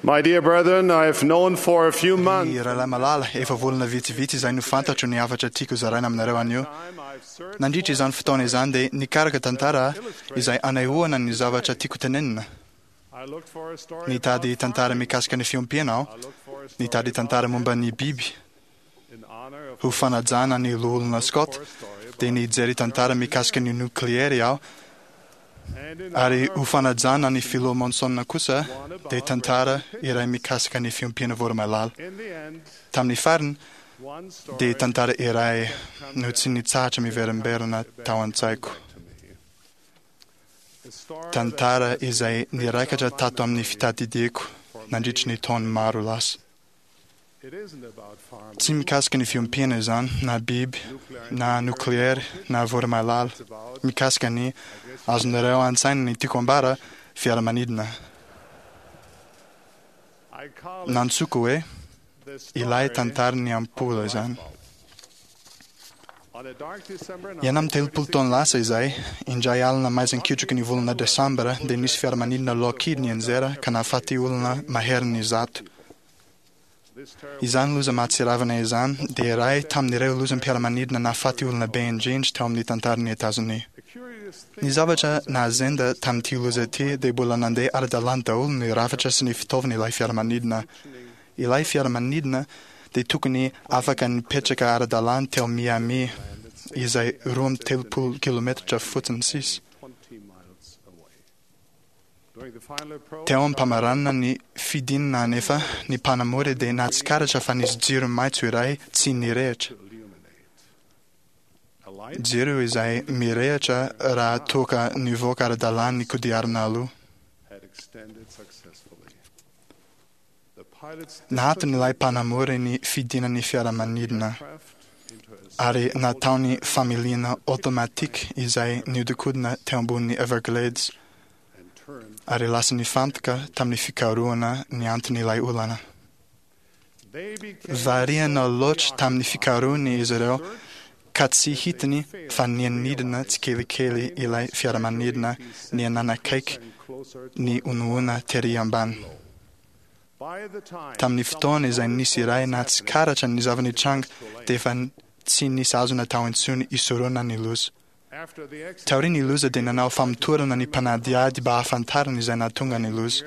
My dear brethren, I have known for a few months. Ny rahalahy malala, efa volana vitsivitsy izay no fantatro ny hafatra tiako zaraina aminareo anio. Nandritra izany fotoana izany dia nikaraka tantara izay anehoana ny zavatra tiako tenenina. Nitady tantara mikasika ny fiompiana aho, nitady tantara momba ny biby. Ho fanajana ny Loholona Scott, dia nijery tantara mikasika ny nokleary aho, ary ho fanajana ny Filoha Monson kosa, dia tantara iray mikasika ny fiompiana voromailala. Tamin'ny farany, dia tantara iray no tsy nitsahatra miverimberina tao an-tsaiko. Tantara izay niraikatra tato amin'ny fitadidiako nandritry ny taona maro lasa. Tsy mikasika ny fiompiana izany, na biby, na nokleary, na voromailala. Mikasika ny, azonareo an-tsaina ny tiako ambara, fiaramanidina. Nantsoiko hoe ilay tantaran'ny ampola izany. 36 taona lasa izay, indray alina maizin-kitroky ny volana Desambra, dia nisy fiaramanidina Lockheed nianjera ka nahafaty olona maherin'ny 100. Izany loza mahatsiravina izany dia iray tamin'ireo lozam-piaramanidina nahafaty olona be indrindra teo amin'ny tantaran'i Etazonia. Ny zavatra nahazenda tamin'ity loza ity dia mbola nandeha ara-dalàna daholo ny rafitra sy ny fitaovan'ilay fiaramanidina. Ilay fiaramanidina dia tokony afaka nipetraka ara-dalàna teo Miami, izay 32 kilometatra fotsiny sisa. Teo am-pamaranana ny fidinana anefa, ny mpanamory dia nahatsikaritra fa nisy jiro maitso iray tsy nirehitra. Jiro izay mirehitra raha toa ka nivoaka ara-dalàna ny kodiarana aloha. Nahaton'ilay mpanamory ny fidinan'ny fiaramanidina ary nataony familiana automatique izay nihodinkodina teo ambonin'ny Everglades ary lasa nifantoka tamin'ny fikarohana ny anton'ilay olana. Variana loatra tamin'ny fikarohany izy ireo ka tsy hitany fa nianidina tsikelikely ilay fiaramanidina niha-nanakaiky ny honahona tery ambany. Tamin'ny fotoana izay nisy iray nahatsikaritra ny zava-nitranga dia efa tsy nisy azo natao intsony hisorohana ny loza. Taorian'ny loza dia nanao famotorana ny mpanadihady mba hahafantarana izay nahatonga ny loza.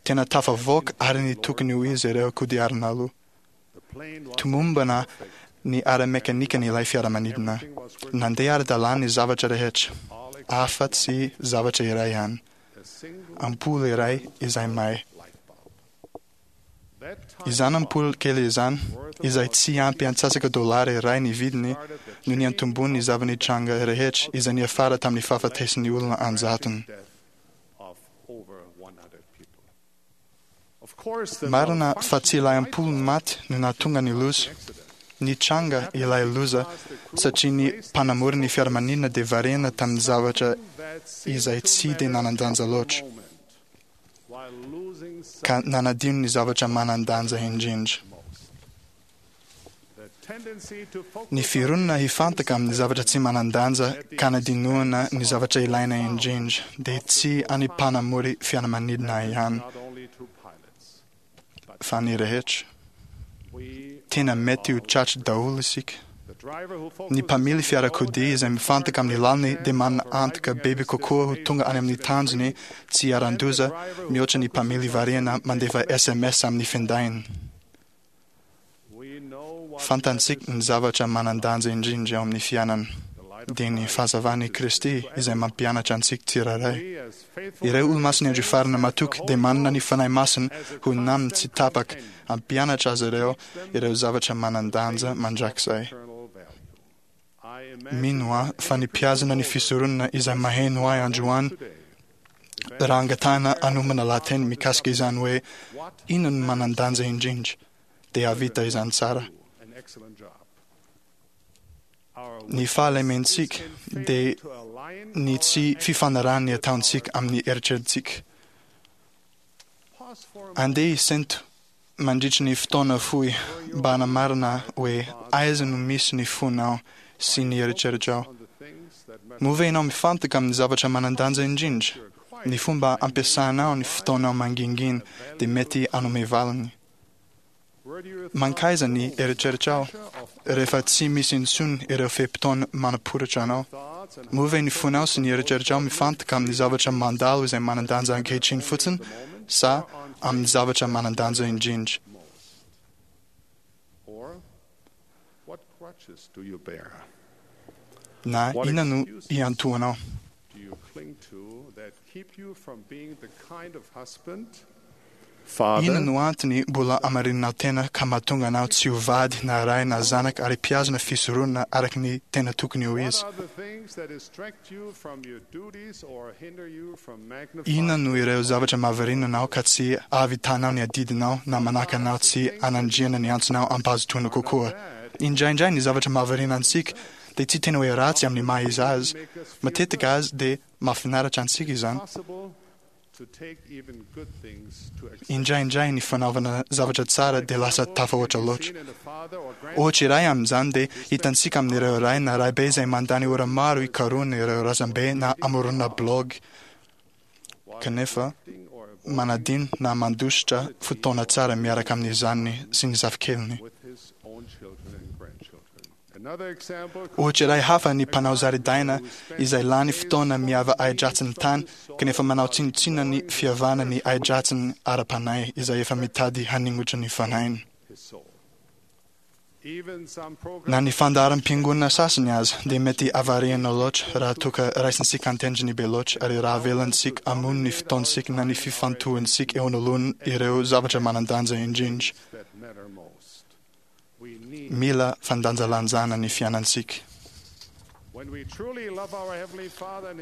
Tena tafavoaka ary ny tokony ho izy ireo kodiarana aloha. Tomombana ny ara-mekanikan'ilay fiaramanidina. Nandeha ara-dalàna ny zavatra rehetra, afa-tsy zavatra iray ihany, ampola iray izay may. Izany ampola kely izany, izay tsy ampy antsasaka dolara iray ny vidiny, no niantombohan'ny zava-nitranga rehetra izay niafara tamin'ny fahafatesan'ny olona an-jatony. Marina fa tsy ilay ampola maty no nahatonga ny loza. Nitranga ilay loza satria ny mpanamory ny fiaramanidina dia variana tamin'ny zavatra izay tsy dia nanan-danja loatra, ka nanadino ny zavatra manan-danja indrindra. Ny fironana hifantoka amin'ny zavatra tsy manan-danja ka hanadinoana ny zavatra ilaina indrindra dia tsy an'ny mpanamory fiaramanidina ihany fa ny rehetra. Tena mety ho tratry daholo isika. Ny mpamily fiarakodia izay mifantoka amin'ny lalany dia manana antoka bebe kokoa ho tonga any amin'ny tanjony tsy iharan-doza mihoatra ny mpamily variana mandefa sms amin'ny findainy. Fantantsika ny zavatra manan-danja indrindra eo amin'ny fiainana, dia ny fahazavan'i Kristy izay mampianatra antsika tsirairay. Ireo Olomasin'ny Andro Farany matoky dia manana ny Fanahy Masina ho namany tsy tapaka hampianatra azy ireo ireo zavatra manan-danja mandrakizay. Mino aho fa ny mpihazona ny fisoronana izay maheno ahy androany raha angatahana hanomana lahateny mikasika izany hoe inona no manan-danja indrindra dia hahavita izany tsara. Ny fahalementsika dia ny tsy fifanarahan'ny ataontsika amin'ny eritreritsika. Andeha hisento mandritry ny fotoana fohy mba hanamarina hoe aiza no misy ny fonao sy ny eritreritrao. Moa ve ianao mifantoka amin'ny zavatra manan-danja indrindra? Ny fomba ampiasanao ny fotoanao mangingina dia mety hanome valiny. Mankaiza ny eritreritrao rehefa tsy misy intsony ireo fe-potoana manaporitra anao? Moa ve ny fonao sy ny eritreritrao mifantoka amin'ny zavatra mandalo izay manan-danja ankehitriny fotsiny sa amin'ny zavatra manan-danja indrindra? Na inona no iantohanao? Inona no antony mbola amarininao tena ka mahatonga anao tsy ho vady na ray na zanaka ary mpihazona fisoronana araka ny tena tokony ho izy? Inona no ireo zavatra mahavariana anao ka tsy ahavitanao ny adidinao na manaka anao tsy hanandriana ny antsonao am-pahazotoana kokoa? Indraindray ny zavatra mahavariana antsika dia tsy tena hoe ratsy amin'ny maha izy azy. Matetika aza dia mahafinaritra antsika izany. Indraindray ny fanaovana zavatra tsara dia lasa tafahoatra loatra. Ohatra iray amin'izany dia hitantsika amin'ireo ray na raibe izay mandany ora maro hikarohana ireo razambe na hamoronana blaogy kanefa manadino na mandositra fotoana tsara miaraka amin'ny zanany sy ny zafikeliny. Ohatra iray hafa ny mpanao zaridaina izay lany fotoana miava ahi-dratsiny tany kanefa manao tsinontsinona ny fiavana ny ahi-dratsiny ara-panahy izay efa mitady haningotra ny fanahiny. Na ny fandaharam-piangonana sasany aza dia mety havarihana loatra raha toa ka raisintsika an-tendrony be loatra ary raha avelantsika hamono ny fotoantsika na ny fifantohantsika eo anoloan' ireo zavatra manan-danja indrindra. Mila fandanjalanjana ny fiainantsika.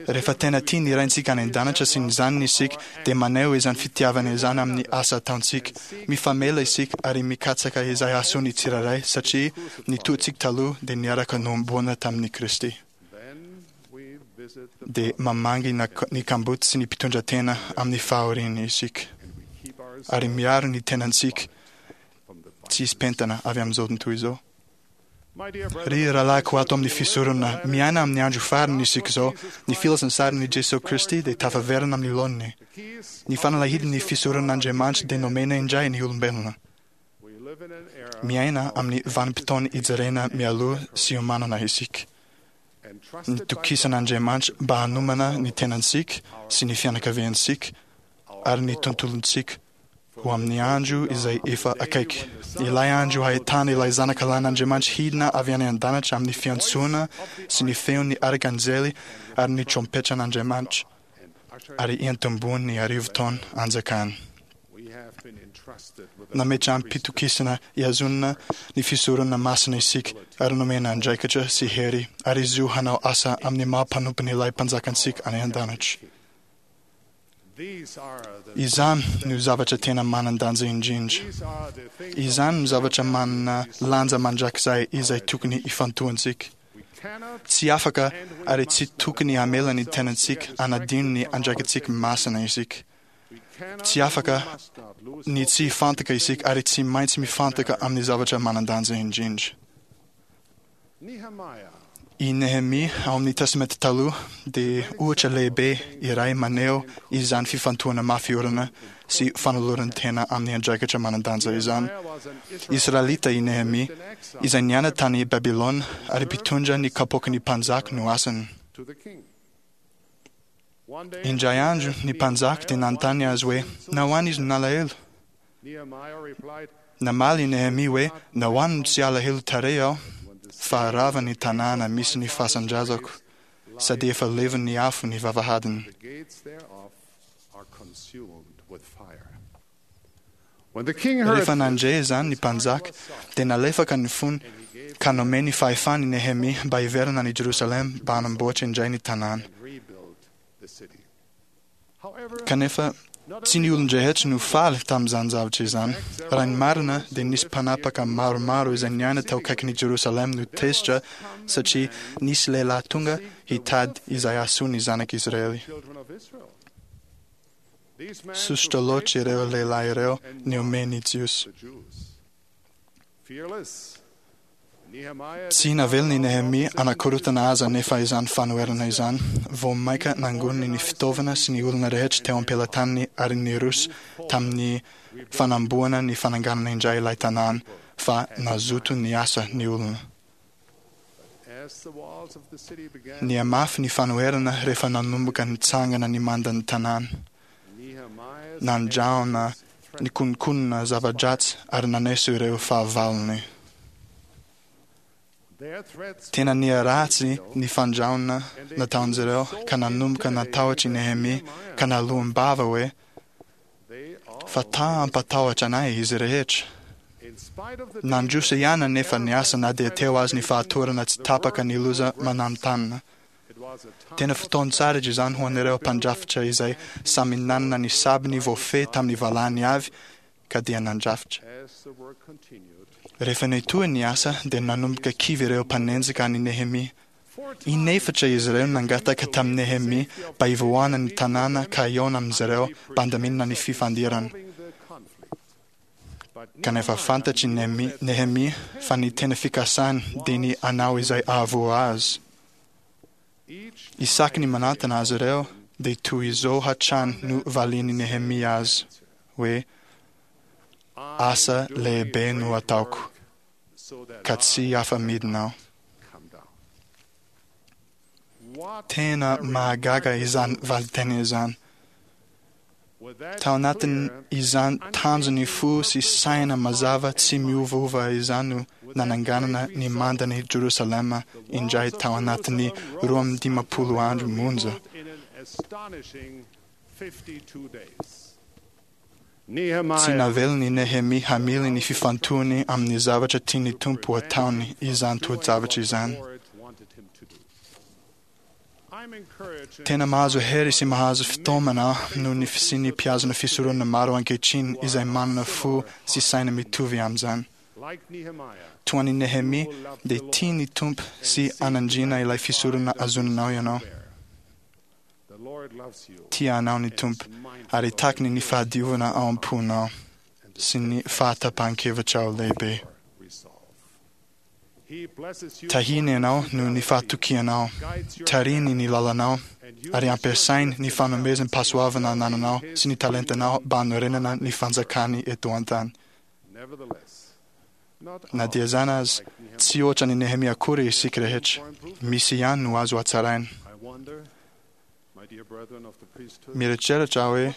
Rehefa tena tia ny Raintsika any An-danitra sy ny Zanany isika, dia maneho izany fitiavana izany amin'ny asa ataontsika. Mifamela isika ary mikatsaka izay hahasoa ny tsirairay, satria ny toetsika taloha dia niaraka nohomboana tamin'i Kristy. Dia mamangy ny kamboty sy ny mpitondra tena amin'ny fahoriany isika, ary miaro ny tenantsika tsy hisy pentana avy amin'izao tontolo izao. Ry rahalahiko ato amin'ny fisoronana, miaina amin'ny andro farany isika izao. Ny filazantsaran'i Jesoa Kristy dia tafaverina amin'ny laoniny. Ny fanalahidin'ny fisoronan'Andriamanitra dia nomena indray ny olombelona. Miaina amin'ny vanim-potoana ijerena mialoha sy iomanana isika. Nitokisan'Andriamanitra mba hanomana ny tenantsika sy ny fianakaviantsika ary ny tontolontsika ho amin'ny andro izay efa akaiky, ilay andro hahitana ilay Zanaka Lahin'Andriamanitra hidina avy any an-danitra amin'ny fiantsoana sy ny feon'ny arkanjely ary ny trompetran'Andriamanitra, ary hiantombohan'ny arivotaona anjakany. Nametraham-pitokisana hihazonana ny fisoronana masina isika ary nomena andraikitra sy hery ary zo hanao asa amin'ny maha mpanompon'ilay Mpanjakantsika any an-danitra. Izany no zavatra tena manan-danja indrindra. Izany no zavatra manana lanja mandrakizay izay tokony hifantohantsika. Tsy afaka ary tsy tokony hamela ny tenantsika hanadino ny andraikitsika masina isika. Tsy afaka ny tsy hifantoka isika ary tsy maintsy mifantoka amin'ny zavatra manan-danja indrindra. I Nehemia ao amin'ny Testamenta Taloha dia ohatra lehibe iray maneho izany fifantohana mafy orina sy fanoloran-tena amin'ny andraikitra manan-danja izany. Israelita i Nehemia, izay niaina tany Babylona ary mpitondra ny kapoaky ny mpanjaka no asany. Indray andro ny mpanjaka dia nanontany azy hoe nahoana izy no nalahelo. Namaly i Nehemia hoe, Nahoana no tsy alahelo tarehy aho, fa rava ny tanàna misy ny fasan-drazako, sady efa levon'ny afo ny vavahadiny. Rehefa nandre izany ny mpanjaka, dia nalefaka ny fony, ka nomeny fahefana i Nehemia mba hiverina any Jerosalema mba hanamboatra indray ny tanàna. Kanefa, tsy ny olon-drehetra no faly tamin'izany zavatra izany. Raha ny marina, dia nisy mpanapaka maromaro izay niaina tao akaikin'i Jerosalema no tezitra satria nisy lehilahy tonga hitady izay hahasoa ny zanak'Israely. Sosotra loatra ireo lehilahy ireo nihomehy ny Jiosy. Tsy navelany Nehemia anakorotana azy anefa izany fanoherana izany. Vao mainka nangoniny ny fitaovana sy ny olona rehetra teo am-pelatanany ary niroso tamin'ny fanamboana ny fananganana indray ilay tanàna, fa nazoto niasa ny olona. Nihamafy ny fanoherana rehefa nanomboka nitsangana ny mandan'ny tanàna. Nandrahona nikononkonona zava-dratsy ary naneso ireo fahavalony. Tena niharatsy ny fandrahona nataon'izy ireo ka nanomboka natahotra i Nehemia ka naloam-bava hoe, Fa ta hampatahotra anay izy rehetra. Nandroso ihany anefa ny asa na dia teo aza ny fahatorana tsy tapaka ny loza mananontanona. Tena fotoan-tsaritra izany ho an'ireo mpandrafitra izay samy nanana ny sabiny voafehy tamin'ny valahany avy ka dia nandrafitra. Rehefa nitohy ny asa dia nanomboka kivy ireo mpanenjika an'i Nehemia. Inefatra izy ireo nangataka tamin'i Nehemia mba hivoahana ny tanàna ka hihaona amin'izy ireo mba handaminana ny fifandirana. Kanefa fantatr'i Nehemia fa ny tena fikasany dia ny hanao izay hahavoa azy. Isaky ny manantona azy ireo dia toy izao hatrany no valian'i Nehemia azy hoe, Asa lehibe no ataoko, ka tsy afa-midina aho. Tena mahagaga izany valinteny izany. Tao anatin'izany tanjon'ny fo sy saina mazava tsy miovaova izany no nananganana ny mandan'i Jerosalema indray tao anatin'ny 52 andro monja. Tsy navelan'i Nehemia hamily ny fifantohany amin'ny zavatra tian'ny Tompo hataony izany toe-javatra izany. Tena mahazo hery sy mahazo fitaomana aho noho ny fisian'ny mpihazona fisoronana maro ankehitriny izay manana fo sy saina mitovy amin'izany. Toa an'i Nehemia, dia tia ny Tompo sy anandriana ilay fisoronana azoninao ianao. Tia anao ny Tompo ary takiny ny fahadiovana ao am-ponao sy ny fahatapahan-kevitrao lehibe. Tahiny ianao noho ny fahatokianao, tarihiny ny lalanao, ary ampiasainy ny fanomezam-pahasoavana anananao sy ny talentanao mba hanorenana ny fanjakany eto an-tany. Na dia izany aza, tsy hoatra an'i Nehemia akory isika rehetra. Misy ihany no azo hatsaraina. Mieritreritra aho hoe,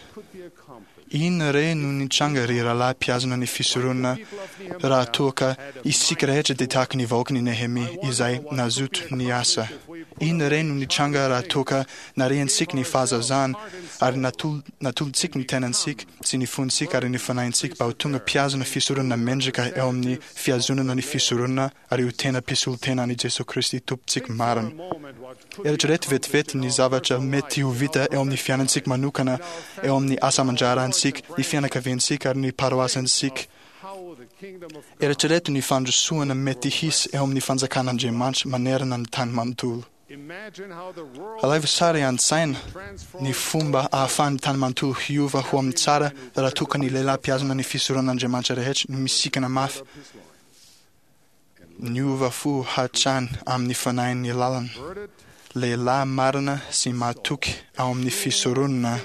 Inona re no nitranga ry rahalahy mpihazona ny fisoronana raha toa ka isika rehetra dia tahaka ny vahoakan'i Nehemia izay nazoto niasa? Inona re no nitranga raha toa ka nariantsika ny fahazazana ary natolotsika ny tenantsika sy ny fontsika ary ny fanahintsika mba ho tonga mpihazona fisoronana mendrika eo amin'ny fihazonana ny fisoronana ary ho tena mpisolo-tena an'i Jesoa Kristy Tompontsika marina? Eritrereto vetivety ny zavatra mety ho vita eo amin'ny fiainantsika manokana, eo amin'ny asa aman-draharahantsika, ny fianakaviantsika ary ny paroasintsika. Eritrereto ny fandrosoana mety hisy eo amin'ny fanjakan'Andriamanitra manerana ny tany manontolo. Alaivo sary an-tsaina ny fomba ahafahan'ny tany manontolo hiova ho amin'ny tsara raha toa ka ny lehilahy mpihazona ny fisoronan'Andriamanitra rehetra no misikana mafy Niova fo hatrany amin'ny fanahin'ny lalana, lehilahy marina sy mahatoky ao amin'ny fisoronana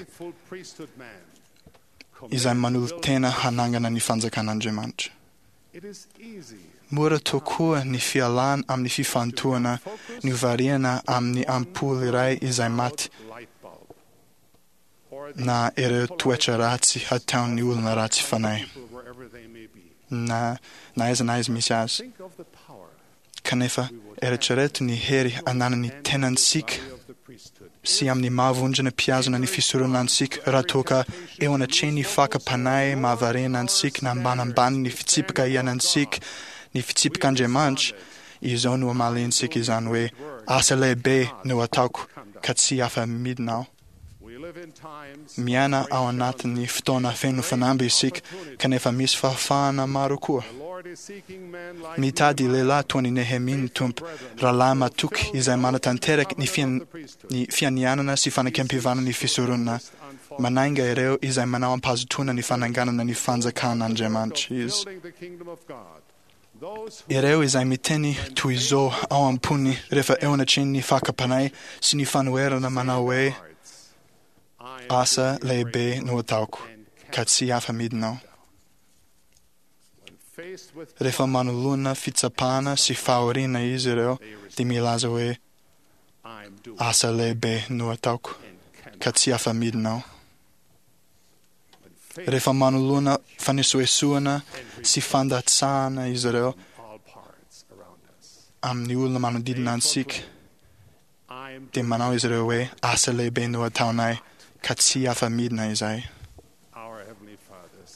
izay manolo-tena hanangana ny fanjakan'Andriamanitra. Mora tokoa ny fialana amin'ny fifantohana novariana amin'ny ampoule iray izay maty na ireo toetra ratsy hataon'ny olona ratsy fanahy, na na aiza na aiza misy azy. Kanefa, eritrereto ny hery ananan'ny tenantsika sy amin'ny maha vondrona mpihazona ny fisoronana antsika raha toa ka eo anatrehan'ny fakam-panahy mahavariana antsika na ambanambany ny fitsipika iainantsika ny fitsipik'Andriamanitra, izao no amaliantsika izany hoe, Asa lehibe no ataoko ka tsy afa-midina aho. Miaina ao anatin'ny fotoana feno fanamby isika, kanefa misy fahafahana maro koa. Mitady lehilahy toa an'i Nehemia ny Tompo, rahalahy matoky izay manatanteraka ny ny fianianana sy fanekempihavanana ny fisoronana. Manainga ireo izay manao am-pahazotoana ny fananganana ny fanjakan'Andriamanitra izy. Ireo izay miteny toy izao ao am-pony rehefa eo anatrehan'ny fakam-panahy sy ny fanoherana manao hoe, Asa lehibe no ataoko, ka tsy afa-midina aho. Rehefa manoloana fitsapana sy fahoriana izy ireo dia milaza hoe, Asa lehibe no ataoko, ka tsy afa-midina aho. Rehefa manoloana fanesoesoana sy fandatsahana izy ireo amin'ny olona manodidina antsika, dia manao izy ireo hoe, Asa lehibe no ataonay, ka tsy afa-midina izahay.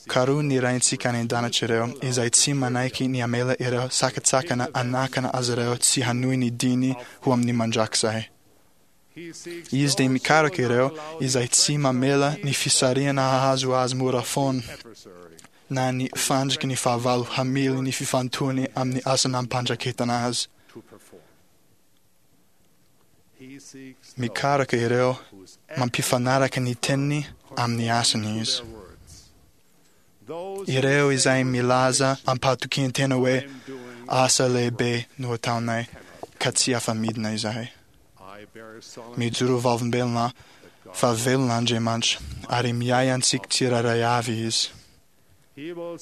Karoho ny Raintsika any an-danitra ireo izay tsy manaiky ny hamela ireo sakantsakana hanakana azy ireo tsy hanohy ny diany ho amin'ny mandrakizay. Izy dia mikaroka ireo izay tsy mamela ny fisarihana hahazo azy mora foana, na ny fandriky ny fahavalo hamily ny fifantohany amin'ny asa nampandraketana azy. Mikaroka ireo mampifanaraka ny teniny amin'ny asany izy. Ireo izay milaza am-pahatokian-tena hoe, Asa lehibe no ataonay, ka tsy afa-midina izahay. Mijoro vavolombelona aho fa velona Andriamanitra ary miahy antsika tsirairay avy Izy.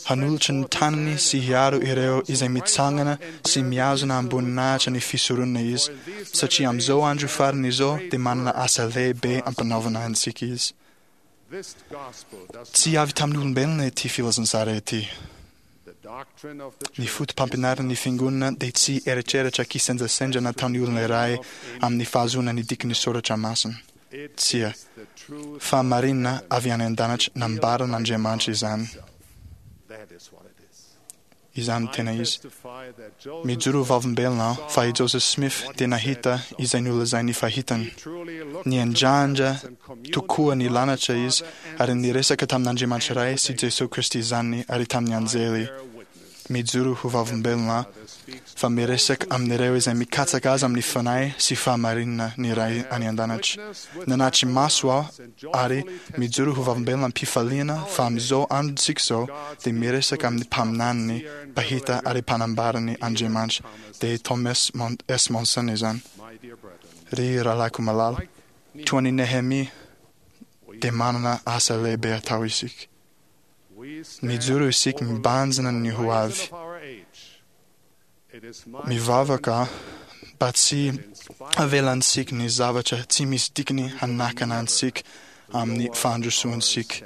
Hanolotra ny tanany sy hiaro ireo izay mitsangana sy mihazona am-boninahitra ny fisoronana Izy, satria amin'izao andro farany izao dia manana asa lehibe ampanaovina antsika Izy. Tsy avy tamin'ny olombelona ity filazantsara ity. Ny foto-pampianaran'ny Fiangonana dia tsy eritreritra kisendrasendra nataon'ny olona iray amin'ny fahazoana ny dikan'ny soratra masina. Tsia. Fahamarinana avy any an-danitra nambaran'Andriamanitra izany. Izany no tena izy. Mijoro ho vavolombelona aho fa i Joseph Smith dia nahita izay nolazainy fa hitany. Niandrandra tokoa ny lanitra izy ary niresaka tamin'Andriamanitra Ray sy Jesoa Kristy Zanany ary tamin'ny anjely. Mijoro ho vavolombelona aho fa miresaka amin'ireo izay mikatsaka Azy amin'ny fanahy sy fahamarinana ny Ray any An-danitra. Nanatri-maso aho ary mijoro ho vavolombelona am-pifaliana fa amin'izao androntsika izao dia miresaka amin'ny mpaminaniny, mpahita ary mpanambarany Andriamanitra, dia i Thomas S. Monson izany. Ry rahalahiko malala, toa an'i Nehemia dia manana asa lehibe atao isika. Mijoro isika mibanjina ny ho avy. Mivavaka mba tsy havelantsika ny zavatra tsy misy dikany hanakana antsika amin'ny fandrosoantsika.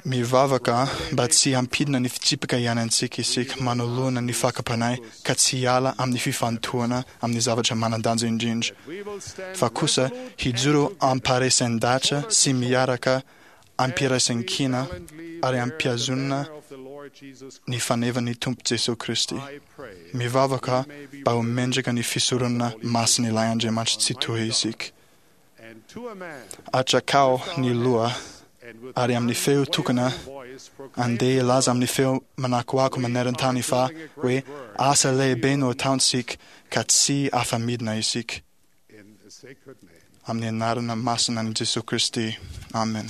Mivavaka mba tsy hampidina ny fitsipika iainantsika isika manoloana ny fakam-panahy ka tsy hiala amin'ny fifantohana amin'ny zavatra manan-danja indrindra, fa kosa hijoro am-paharesen-dahatra sy miaraka am-piraisan-kina ary am-pihazonana ny fanevan'ny Tompo Jesoa Kristy. Mivavaka mba ho mendrika ny fisoronana masin'ilay Andriamanitra Tsitoha isika. Atrakao ny loha, ary amin'ny feo tokana, andeha hilaza amin'ny feo manakoako maneran-tany fa hoe asa lehibe no ataontsika ka tsy afa-midina isika. Amin'ny anarana masina an'i Jesoa Kristy. Amen.